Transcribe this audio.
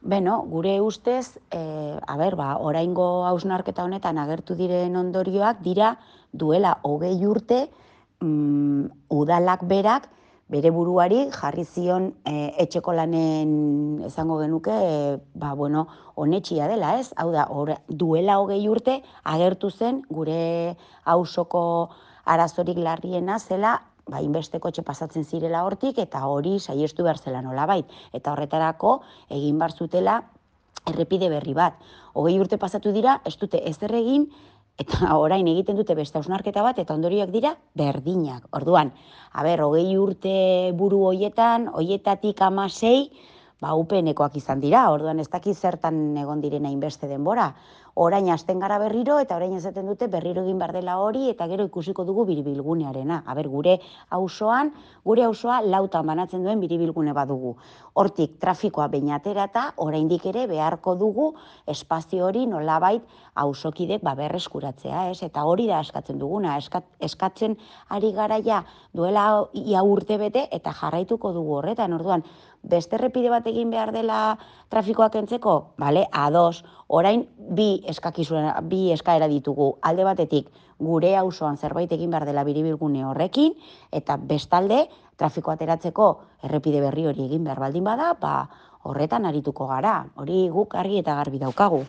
Gure ustez, oraingo hausnarketa honetan agertu diren ondorioak dira duela 20 urte udalak berak bere buruari jarri zion etxeko lanen esango genuke onetxia dela, ez? Hau da, duela 20 urte agertu zen gure auzoko arazorik larriena zela inbesteko etxe pasatzen zirela hortik eta hori saiestu behar zela nolabait. Eta horretarako egin behar zutela errepide berri bat. 20 urte pasatu dira, ez dute ezer egin, eta orain egiten dute beste hausnarketa bat, eta ondorioak dira berdinak. Orduan, 20 urte buru hoietatik 16, UPN-ekoak izan dira, orduan ez dakit zertan egon direna hainbeste denbora. Orain hasten gara berriro, eta orain esaten dute berriro egin behar dela hori, eta gero ikusiko dugu biribilgunearena. Gure auzoa lautan banatzen duen biribilgune badugu. Hortik trafikoa behin aterata, oraindik ere beharko dugu espazio hori nolabait auzokidek berreskuratzea, ez? Eta hori da eskatzen duguna, eskatzen ari garaia duela ia urte bete eta jarraituko dugu horretan. Orduan, beste errepide bat egin behar dela trafikoa kentzeko, ados, orain bi eskaera ditugu. Alde batetik, gure auzoan zerbait egin behar dela biribilgune horrekin, eta bestalde, trafikoa ateratzeko errepide berri hori egin behar baldin bada, horretan arituko gara. Hori guk argi eta garbi daukagu.